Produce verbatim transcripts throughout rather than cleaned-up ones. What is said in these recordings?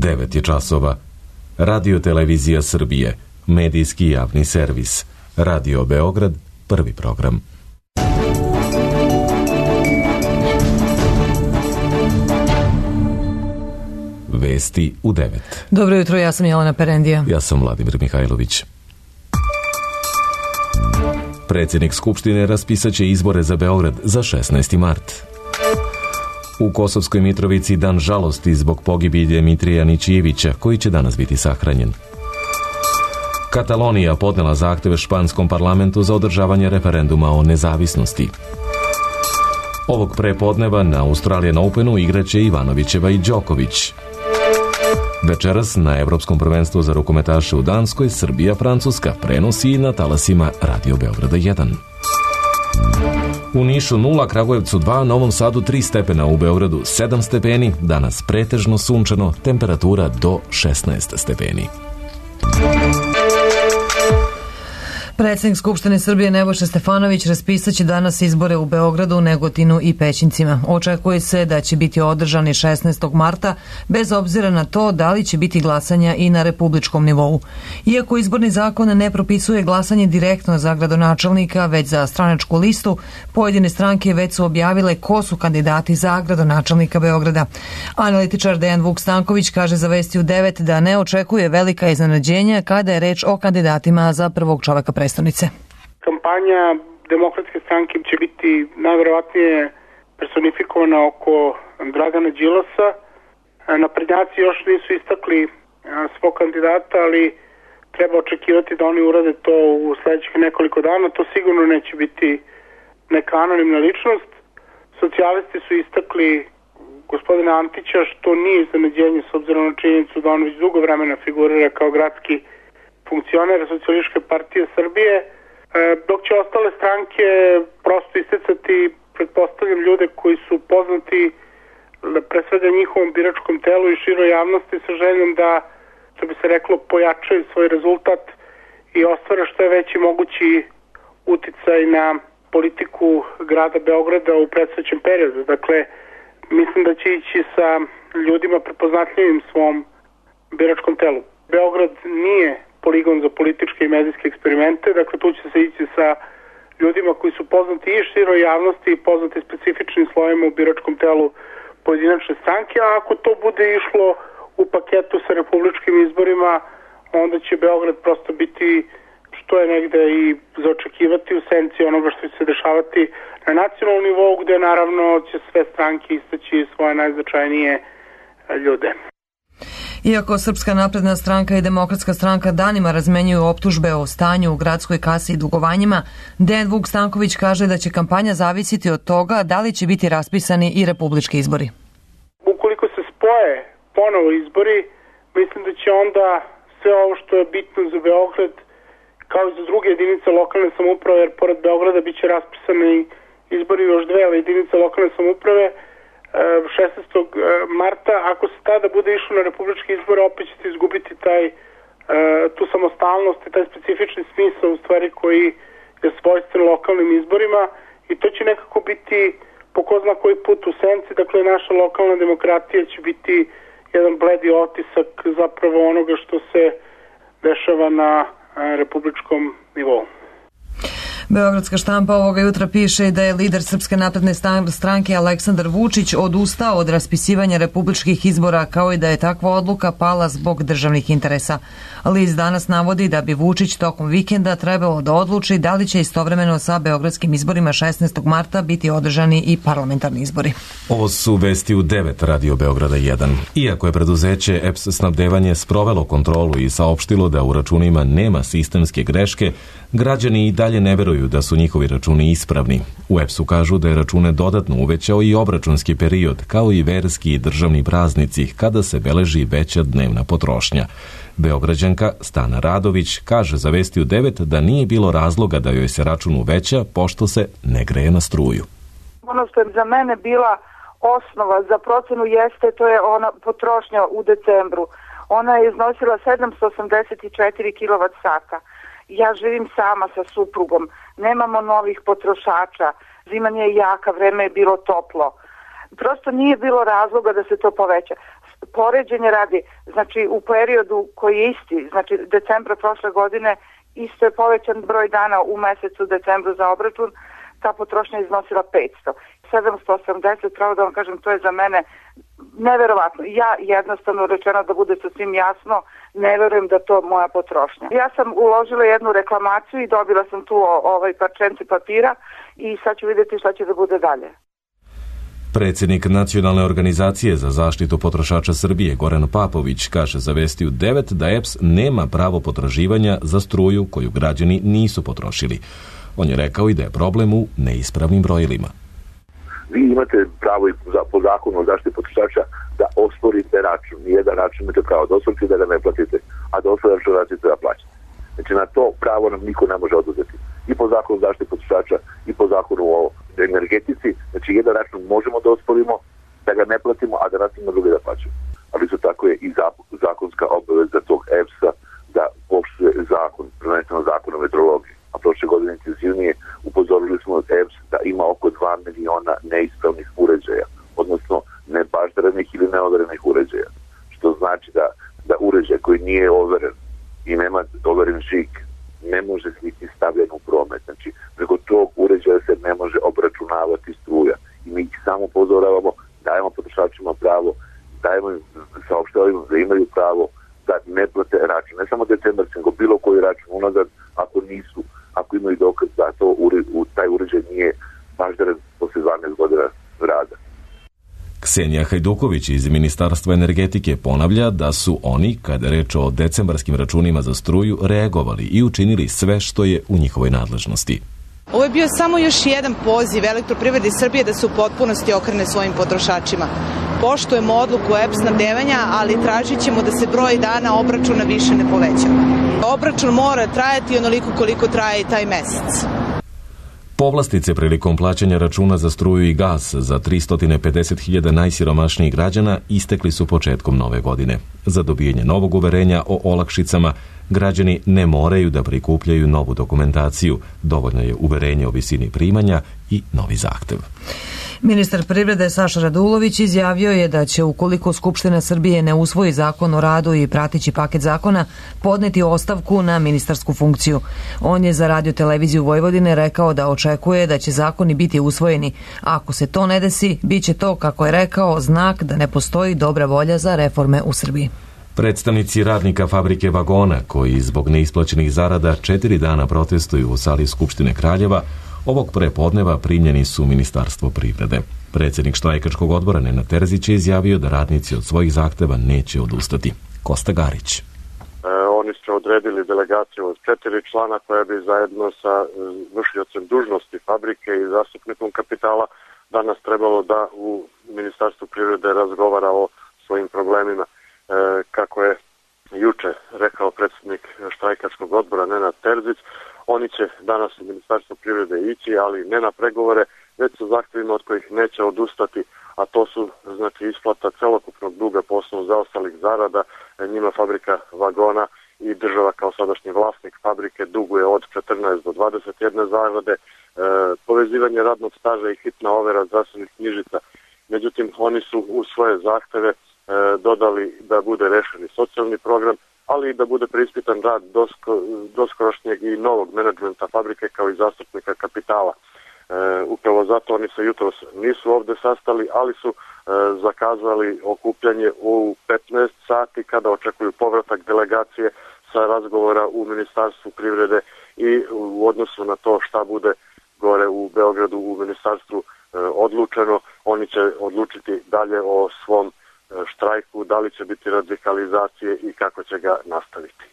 devet je časova. Radio Televizija Srbije, medijski javni servis. Radio Beograd, prvi program. Vesti u devet. Dobro jutro, ja sam Jelena Perendija. Ja sam Vladimir Mihajlović. Predsjednik Skupštine raspisaće izbore za Beograd za šesnaesti mart. U Kosovskoj Mitrovici dan žalosti zbog pogibije Mitrija Ničijevića, koji će danas biti sahranjen. Katalonija podnela zahteve španskom parlamentu za održavanje referenduma o nezavisnosti. Ovog prepodneva na Australian Openu igraće Ivanovićeva i Đoković. Večeras na Evropskom prvenstvu za rukometaše u Danskoj Srbija-Francuska prenosi na talasima Radio Beograda jedan. U Nišu nula, Kragujevcu dva, Novom Sadu tri stepena, u Beogradu sedam stepeni, danas pretežno sunčano, temperatura do šesnaest stepeni. Predsjednik Skupštine Srbije Nebojša Stefanović raspisaće danas izbore u Beogradu, Negotinu i Pećincima. Očekuje se da će biti održani šesnaestog marta, bez obzira na to da li će biti glasanja i na republičkom nivou. Iako izborni zakon ne propisuje glasanje direktno za gradonačelnika, već za stranačku listu, pojedine stranke već su objavile ko su kandidati za gradonačelnika Beograda. Analitičar Dejan Vuk Stanković kaže za Vesti u devet da ne očekuje velika iznenađenja kada je reč o kandidatima za prvog čoveka predstavnice. Kampanja Demokratske stranke će biti najverovatnije personifikovana oko Dragana Đilasa. Naprednjaci još nisu istakli svog kandidata, ali treba očekivati da oni urade to u sledećih nekoliko dana. To sigurno neće biti neka anonimna ličnost. Socijalisti su istakli gospodina Antića, što nije iznenađenje s obzirom na činjenicu da on već dugo vremena figurira kao gradski funkcioner Socijalističke partije Srbije, dok će ostale stranke prosto isticati, pretpostavljam, ljude koji su poznati pre svega njihovom biračkom telu i široj javnosti sa željom da, što bi se reklo, pojačaju svoj rezultat i ostvare što je veći mogući uticaj na politiku grada Beograda u predstojećem periodu. Dakle, mislim da će ići sa ljudima prepoznatljivim svom biračkom telu. Beograd nije poligon za političke i medijske eksperimente, dakle tu će se ići sa ljudima koji su poznati i široj javnosti i poznati specifičnim slojima u biračkom telu pojedinačne stranke, a ako to bude išlo u paketu sa republičkim izborima, onda će Beograd prosto biti, što je negde i za očekivati, u senci onoga što će se dešavati na nacionalnom nivou, gde naravno će sve stranke istaći svoje najznačajnije ljude. Iako Srpska napredna stranka i Demokratska stranka danima razmenjuju optužbe o stanju u gradskoj kasi i dugovanjima, Dejan Vuk Stanković kaže da će kampanja zavisiti od toga da li će biti raspisani i republički izbori. Ukoliko se spoje ponovo izbori, mislim da će onda sve ovo što je bitno za Beograd, kao i za druge jedinice lokalne samouprave, jer pored Beograda bit će raspisani izbori još dve jedinice lokalne samouprave, šesnaestog marta, ako se tada bude išlo na republički izbor, opet ćete izgubiti taj, tu samostalnost i taj specifični smisao u stvari koji je svojstven lokalnim izborima, i to će nekako biti po ko zna koji put u senci. Dakle, naša lokalna demokratija će biti jedan bledi otisak zapravo onoga što se dešava na republičkom nivou. Beogradska štampa ovoga jutra piše da je lider Srpske napredne stranke Aleksandar Vučić odustao od raspisivanja republičkih izbora, kao i da je takva odluka pala zbog državnih interesa. List danas navodi da bi Vučić tokom vikenda trebalo da odluči da li će istovremeno sa beogradskim izborima šesnaestog marta biti održani i parlamentarni izbori. Ovo su Vesti u devet Radio Beograda jedan. Iako je preduzeće E P S snabdevanje sprovelo kontrolu i saopštilo da u računima nema sistemske greške, građani i dalje ne veruju da su njihovi računi ispravni. U E P S-u kažu da je račune dodatno uvećao i obračunski period, kao i verski i državni praznici, kada se beleži veća dnevna potrošnja. Beograđanka Stana Radović kaže za Vesti u devet da nije bilo razloga da joj se račun uveća, pošto se ne greje na struju. Ono što je za mene bila osnova za procenu jeste, to je ona potrošnja u decembru. Ona je iznosila sedamsto osamdeset četiri kilovat sata. Ja živim sama sa suprugom, nemamo novih potrošača, zima nije jaka, vreme je bilo toplo. Prosto nije bilo razloga da se to poveća. poređenje radi, znači u periodu koji je isti, znači decembra prošle godine, isto je povećan broj dana u mesecu decembru za obračun, ta potrošnja iznosila petsto. sedamsto osamdeset, pravo da vam kažem, to je za mene neverovatno. Ja jednostavno rečeno, da bude sasvim jasno, ne verujem da to moja potrošnja. Ja sam uložila jednu reklamaciju i dobila sam tu ovaj parčence papira i sad ću vidjeti šta će da bude dalje. Predsjednik Nacionalne organizacije za zaštitu potrošača Srbije Goran Papović kaže za Vestiju devet da E P S nema pravo potraživanja za struju koju građani nisu potrošili. On je rekao i da je problem u neispravnim brojilima. Vi imate pravo i po zakonu o zaštiti potrošača da osporite račun. Nijedan račun imate pravo da osporite da ga ne platite, a da osporite račun radite da plaćate. Znači na to pravo nam niko ne može oduzeti. I po zakonu o zaštiti potrošača i po zakonu o energetici. Znači jedan račun možemo da osporimo, da ga ne platimo, a da nas ima drugi da plaćamo. Ali isto tako je i zakonska obaveza tog E P S-a da poštuje zakon, prvenstveno zakon o metrologiji. A prošle godine intenzivnije upozorili smo od E P S da ima oko dva miliona neispravnih uređaja, odnosno nebaždarenih ili neoverenih uređaja. Što znači da, da uređaj koji nije overen i nema overen žig ne može biti stavljen u promet. Znači, preko tog uređaja se ne može obračunavati struja. I mi ih samo upozoravamo, dajemo potrošačima pravo, dajemo im, saopštavamo da imaju pravo da ne plate račun. Ne samo decembarski, nego bilo koji račun unazad, ako nisu, ako imaju dokaz da to taj uređaj nije baždaren posle dvanaest godina rada. Ksenija Hajduković iz Ministarstva energetike ponavlja da su oni, kada je reč o decembarskim računima za struju, reagovali i učinili sve što je u njihovoj nadležnosti. Ovo je bio samo još jedan poziv Elektroprivredi Srbije da se u potpunosti okrene svojim potrošačima. Poštujemo odluku E P S snabdevanja, ali tražit ćemo da se broj dana obračuna više ne povećava. Obračun mora trajati onoliko koliko traje i taj mesec. Povlastice prilikom plaćanja računa za struju i gas za tristo pedeset hiljada najsiromašnijih građana istekli su početkom nove godine. Za dobijanje novog uverenja o olakšicama građani ne moraju da prikupljaju novu dokumentaciju, dovoljno je uverenje o visini primanja i novi zahtev. Ministar privrede Saša Radulović izjavio je da će, ukoliko Skupština Srbije ne usvoji zakon o radu i prateći paket zakona, podneti ostavku na ministarsku funkciju. On je za Radio televiziju Vojvodine rekao da očekuje da će zakoni biti usvojeni. Ako se to ne desi, bit će to, kako je rekao, znak da ne postoji dobra volja za reforme u Srbiji. Predstavnici radnika fabrike vagona, koji zbog neisplaćenih zarada četiri dana protestuju u sali Skupštine Kraljeva, ovog prepodneva primljeni su u Ministarstvo privrede. Predsjednik štrajkačkog odbora Nenad Terzić je izjavio da radnici od svojih zahteva neće odustati. Kosta Garić. E, oni su odredili delegaciju od četiri člana koja bi zajedno sa vršiocem dužnosti fabrike i zastupnikom kapitala danas trebalo da u Ministarstvu privrede razgovara o svojim problemima. E, kako je juče rekao predsjednik štrajkačkog odbora Nenad Terzić, oni će danas u Ministarstvo privrede ići, ali ne na pregovore, već sa zahtjevima od kojih neće odustati, a to su znači isplata celokupnog duga po osnovu zaostalih zarada. Njima fabrika vagona i država kao sadašnji vlasnik fabrike duguje od četrnaest do dvadeset jedne zarade, e, povezivanje radnog staža i hitna overa zdravstvenih knjižica. Međutim, oni su u svoje zahteve e, dodali da bude rešeni socijalni program, ali i da bude preispitan rad dosko, doskorašnjeg i novog menadžmenta fabrike kao i zastupnika kapitala. E, upravo zato oni se jutros nisu ovde sastali, ali su e, zakazali okupljanje u petnaest sati kada očekuju povratak delegacije sa razgovora u Ministarstvu privrede i u odnosu na to šta bude gore u Beogradu u Ministarstvu e, odlučeno, oni će odlučiti dalje o svom štrajku, da li će biti radikalizacije i kako će ga nastaviti.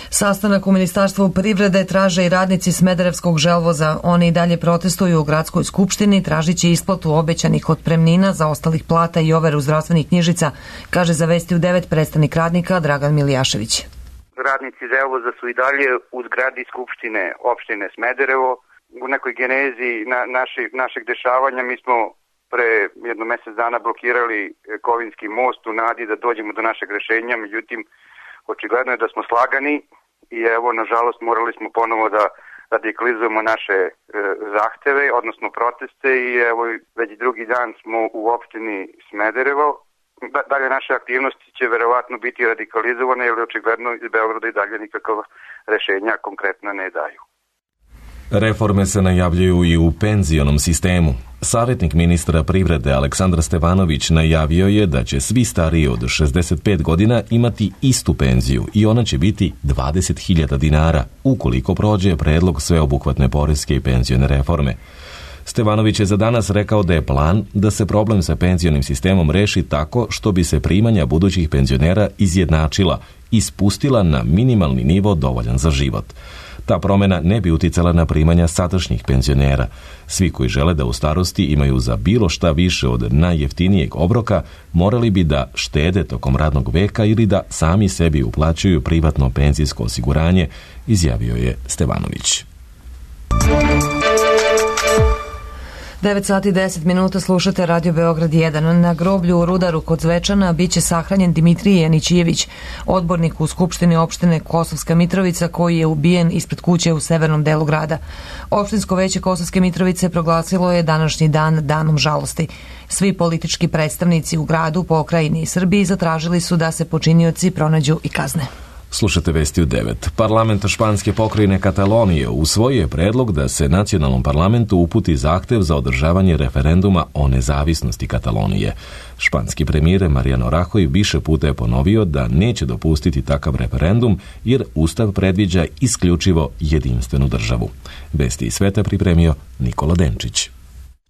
Sastanak u Ministarstvu privrede traže i radnici Smederevskog želvoza. Oni i dalje protestuju u gradskoj skupštini, tražići isplatu obećanih otpremnina za ostalih plata i overu zdravstvenih knjižica, kaže za Vestiju devet predstavnik radnika Dragan Milijašević. Radnici želvoza su i dalje u zgradi skupštine opštine Smederevo. U nekoj genezi na, naši, našeg dešavanja mi smo pre jedno mesec dana blokirali Kovinski most u nadi da dođemo do našeg rešenja, međutim, očigledno je da smo slagani i evo, nažalost, morali smo ponovo da radikalizujemo naše e, zahteve, odnosno proteste i evo, već drugi dan smo u opštini Smederevo dalje naše aktivnosti će verovatno biti radikalizovane, jer očigledno iz Beograda i dalje nikakav rešenja konkretna ne daju. Reforme se najavljuju i u penzionom sistemu. Savjetnik ministra privrede Aleksandar Stevanović najavio je da će svi stariji od šezdeset pet godina imati istu penziju i ona će biti dvadeset hiljada dinara ukoliko prođe predlog sveobuhvatne poreske i penzione reforme. Stevanović je za danas rekao da je plan da se problem sa penzionim sistemom reši tako što bi se primanja budućih penzionera izjednačila i spustila na minimalni nivo dovoljan za život. Ta promjena ne bi uticala na primanja sadašnjih penzionera. Svi koji žele da u starosti imaju za bilo šta više od najjeftinijeg obroka, morali bi da štede tokom radnog veka ili da sami sebi uplaćuju privatno penzijsko osiguranje, izjavio je Stevanović. devet sati i deset minuta slušate Radio Beograd jedan. Na groblju u Rudaru kod Zvečana biće sahranjen Dimitrije Janićijević, odbornik u Skupštini opštine Kosovska Mitrovica koji je ubijen ispred kuće u severnom delu grada. Opštinsko veće Kosovske Mitrovice proglasilo je današnji dan danom žalosti. Svi politički predstavnici u gradu, pokrajini i Srbiji zatražili su da se počinioci pronađu i kazne. Slušate vesti u devet. Parlament španske pokrajine Katalonije usvojio je predlog da se nacionalnom parlamentu uputi zahtev za održavanje referenduma o nezavisnosti Katalonije. Španski premijer Mariano Rajoy više puta je ponovio da neće dopustiti takav referendum jer Ustav predviđa isključivo jedinstvenu državu. Vesti iz sveta pripremio Nikola Denčić.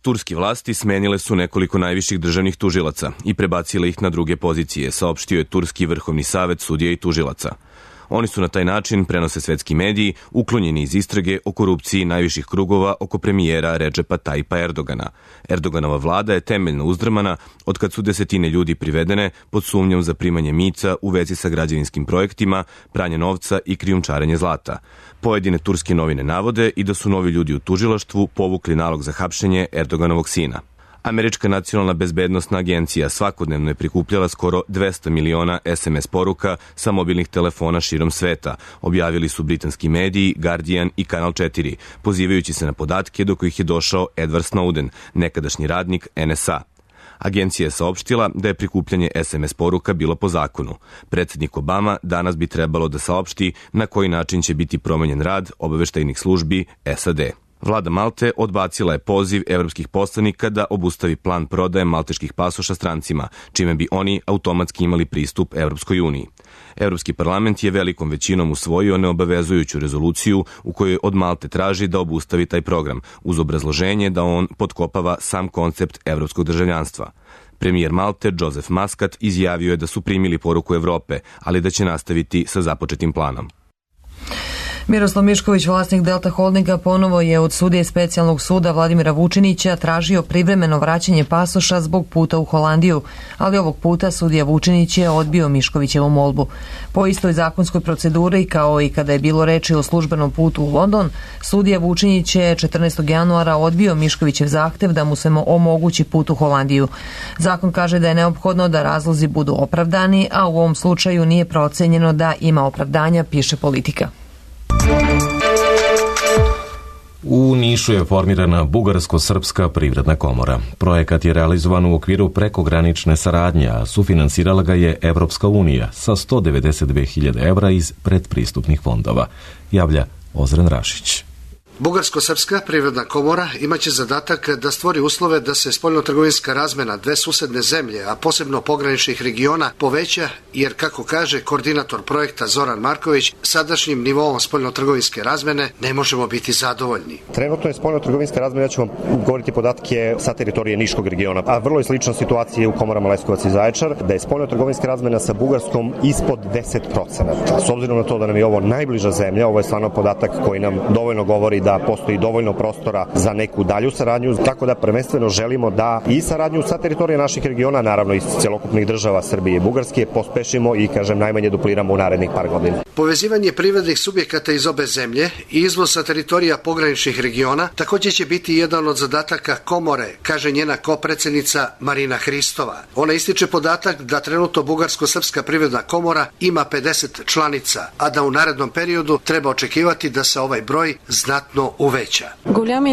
Turski vlasti smenile su nekoliko najviših državnih tužilaca i prebacile ih na druge pozicije, saopštio je Turski vrhovni savet sudija i tužilaca. Oni su na taj način, prenose svetski mediji, uklonjeni iz istrage o korupciji najviših krugova oko premijera Redžepa Tajipa Erdogana. Erdoganova vlada je temeljno uzdrmana od kad su desetine ljudi privedene pod sumnjom za primanje mica u vezi sa građevinskim projektima, pranje novca i krijumčarenje zlata. Pojedine turske novine navode i da su novi ljudi u tužilaštvu povukli nalog za hapšenje Erdoganovog sina. Američka nacionalna bezbednosna agencija svakodnevno je prikupljala skoro dvesta miliona es em es poruka sa mobilnih telefona širom sveta, objavili su britanski mediji Guardian i Kanal četiri, pozivajući se na podatke do kojih je došao Edward Snowden, nekadašnji radnik en es a. Agencija je saopštila da je prikupljanje es em es poruka bilo po zakonu. Predsjednik Obama danas bi trebalo da saopšti na koji način će biti promenjen rad obaveštajnih službi es a de. Vlada Malte odbacila je poziv evropskih poslanika da obustavi plan prodaje malteških pasoša strancima, čime bi oni automatski imali pristup Evropskoj uniji. Evropski parlament je velikom većinom usvojio neobavezujuću rezoluciju u kojoj od Malte traži da obustavi taj program, uz obrazloženje da on potkopava sam koncept evropskog državljanstva. Premijer Malte, Joseph Muscat, izjavio je da su primili poruku Evrope, ali da će nastaviti sa započetim planom. Miroslav Mišković, vlasnik Delta Holdinga, ponovo je od sudije specijalnog suda Vladimira Vučinića tražio privremeno vraćanje pasoša zbog puta u Holandiju, ali ovog puta sudija Vučinić je odbio Miškovićevu molbu. Po istoj zakonskoj proceduri, kao i kada je bilo reči o službenom putu u London, sudija Vučinić je četrnaestog januara odbio Miškovićev zahtev da mu se omogući put u Holandiju. Zakon kaže da je neophodno da razlozi budu opravdani, a u ovom slučaju nije procenjeno da ima opravdanja, piše Politika. U Nišu je formirana Bugarsko-srpska privredna komora. Projekat je realizovan u okviru prekogranične saradnje, a sufinansirala ga je Evropska unija sa sto devedeset dve hiljade evra iz predpristupnih fondova, javlja Ozren Rašić. Bugarsko-srpska privredna komora imaće zadatak da stvori uslove da se spoljnotrgovinska razmena dve susedne zemlje, a posebno pograničnih regiona, poveća, jer, kako kaže koordinator projekta Zoran Marković, sadašnjim nivoom spoljnotrgovinske razmene ne možemo biti zadovoljni. Trenutno je spoljnotrgovinska razmena, ja ću vam govoriti podatke sa teritorije Niškog regiona, a vrlo je slična situacija u komorama Leskovac i Zaječar, da je spoljnotrgovinska razmena sa Bugarskom ispod deset procenata. S obzirom na to da nam je ovo najbliža zemlja, ovo je stvarno podatak koji nam dovoljno govori da postoji dovoljno prostora za neku dalju saradnju, tako da prvenstveno želimo da i saradnju sa teritorije naših regiona, naravno i celokupnih država Srbije i Bugarske, pospešimo i, kažem, najmanje dupliramo u narednih par godina. Povezivanje privrednih subjekata iz obe zemlje i izvoz sa teritorija pograničnih regiona također će biti jedan od zadataka komore, kaže njena kopredsednica Marina Hristova. Ona ističe podatak da trenutno Bugarsko-srpska privredna komora ima pedeset članica, a da u narednom periodu treba očekivati da se ovaj broj znatno znatno uveća.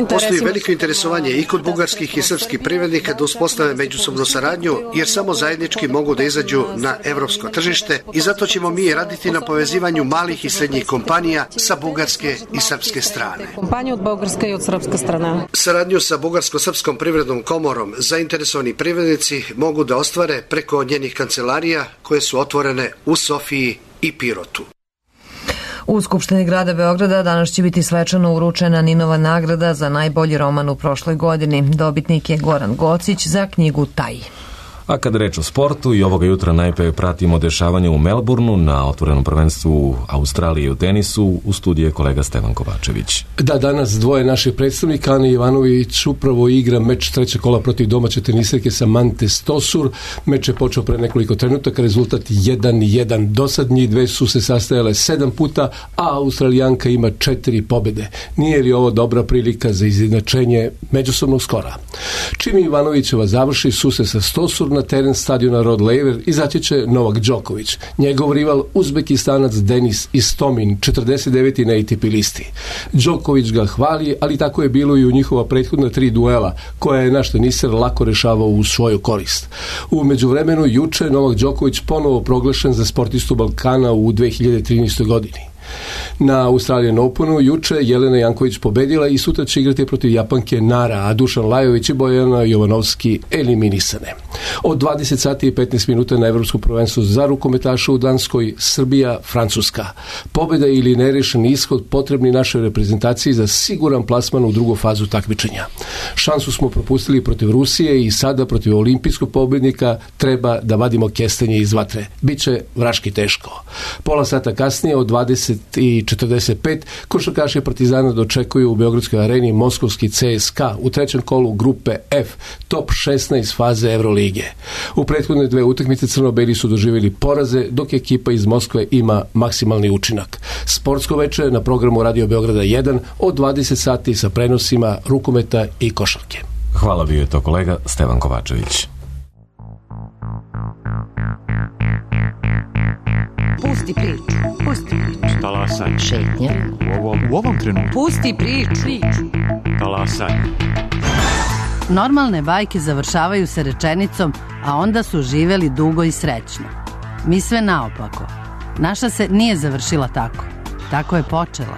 Postoji veliko interesovanje i kod bugarskih i srpskih privrednika da uspostave međusobnu saradnju, jer samo zajednički mogu da izađu na evropsko tržište i zato ćemo mi raditi na povezivanju malih i srednjih kompanija sa bugarske i srpske strane. Kompanija od bugarske i od srpske strane. Saradnju sa Bugarsko-srpskom privrednom komorom zainteresovani privrednici mogu da ostvare preko njenih kancelarija koje su otvorene u Sofiji i Pirotu. U Skupštini grada Beograda danas će biti svečano uručena Ninova nagrada za najbolji roman u prošloj godini. Dobitnik je Goran Gocić za knjigu Taj. A kad reč o sportu, i ovoga jutra najpre pratimo dešavanje u Melbourneu na otvorenom prvenstvu Australije u tenisu. U studiju je kolega Stevan Kovačević. Da, danas dvoje naših predstavnika, Ana Ivanović upravo igra meč trećeg kola protiv domaće teniserke Samante Stosur. Meč je počeo pre nekoliko trenutaka, rezultat jedan jedan. Dosad njih dve su se sastajale sedam puta, a Australijanka ima četiri pobede. Nije li ovo dobra prilika za izjednačenje međusobnog skora? Čim Ivanovićeva završi susret sa Stosur, na teren stadiona Rod Laver izaći će Novak Đoković. Njegov rival Uzbekistanac Denis Istomin, četrdeset deveti na A T P listi. Đoković ga hvali, ali tako je bilo i u njihova prethodna tri duela, koja je naš teniser lako rešavao u svoju korist. U međuvremenu, juče Novak Đoković ponovo proglašen za sportistu Balkana u dve hiljade trinaestoj godini. Na Australian Openu juče Jelena Janković pobedila i sutra će igrati protiv Japanke Nara, a Dušan Lajović i Bojana Jovanovski eliminisane. Od dvadeset sati i petnaest minuta na Evropskom prvenstvu za rukometaše u Danskoj, Srbija, Francuska. Pobeda ili nerešen ishod potrebni našoj reprezentaciji za siguran plasman u drugu fazu takmičenja. Šansu smo propustili protiv Rusije i sada protiv olimpijskog pobednika treba da vadimo kestenje iz vatre. Biće vraški teško. Pola sata kasnije od dvadeset i četrdeset pet košarkaši Partizana dočekuju u Beogradskoj areni moskovski C S K a u trećem kolu grupe F, top šesnaest faze Evrolige. U prethodne dve utakmice crno-beli su doživjeli poraze, dok ekipa iz Moskve ima maksimalni učinak. Sportsko veče na programu Radio Beograda jedan od dvadeset sati sa prenosima rukometa i košarke. Hvala, bio je to kolega Stevan Kovačević. Pusti priču, pusti priču. Talasaj. Šetnja. U ovom, u ovom trenutku. Pusti priču. Talasaj. Normalne bajke završavaju se rečenicom, a onda su živeli dugo i srećno. Mi sve naopako. Naša se nije završila tako. Tako je počela.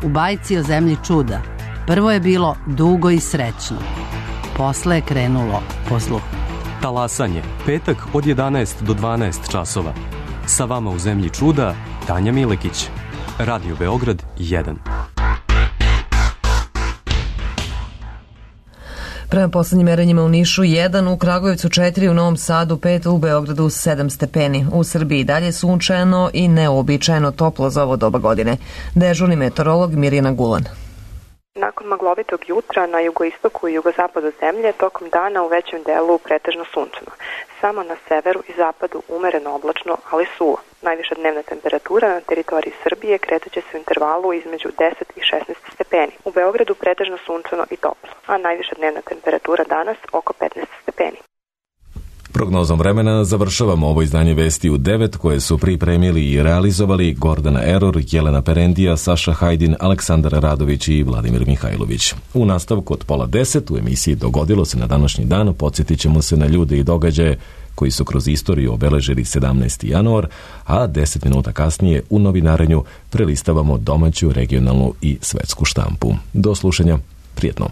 U bajci o zemlji čuda prvo je bilo dugo i srećno. Posle je krenulo po zlu. Talasanje, petak od jedanaest do dvanaest časova. Sa vama u zemlji čuda, Tanja Milekić. Radio Beograd jedan. Prema poslednjim merenjima u Nišu jedan, u Kragujevcu četiri, u Novom Sadu pet, u Beogradu sedam stepeni. U Srbiji dalje sunčano i neobičajeno toplo za ovo doba godine. Dežurni meteorolog Mirjana Gulan. Nakon maglovitog jutra na jugoistoku i jugozapadu zemlje tokom dana u većem delu pretežno sunčano. Samo na severu i zapadu umereno oblačno, ali suvo. Najviša dnevna temperatura na teritoriji Srbije kretaće se u intervalu između deset i šesnaest stepeni. U Beogradu pretežno sunčano i toplo, a najviša dnevna temperatura danas oko petnaest stepeni. Prognozom vremena završavamo ovo izdanje Vesti u devet koje su pripremili i realizovali Gordana Eror, Jelena Perendija, Saša Hajdin, Aleksandar Radović i Vladimir Mihajlović. U nastavku od pola deset u emisiji Dogodilo se na današnji dan podsjetit ćemo se na ljude i događaje koji su kroz istoriju obeležili sedamnaesti januar, a deset minuta kasnije u novinarenju prelistavamo domaću, regionalnu i svetsku štampu. Do slušanja, prijetno.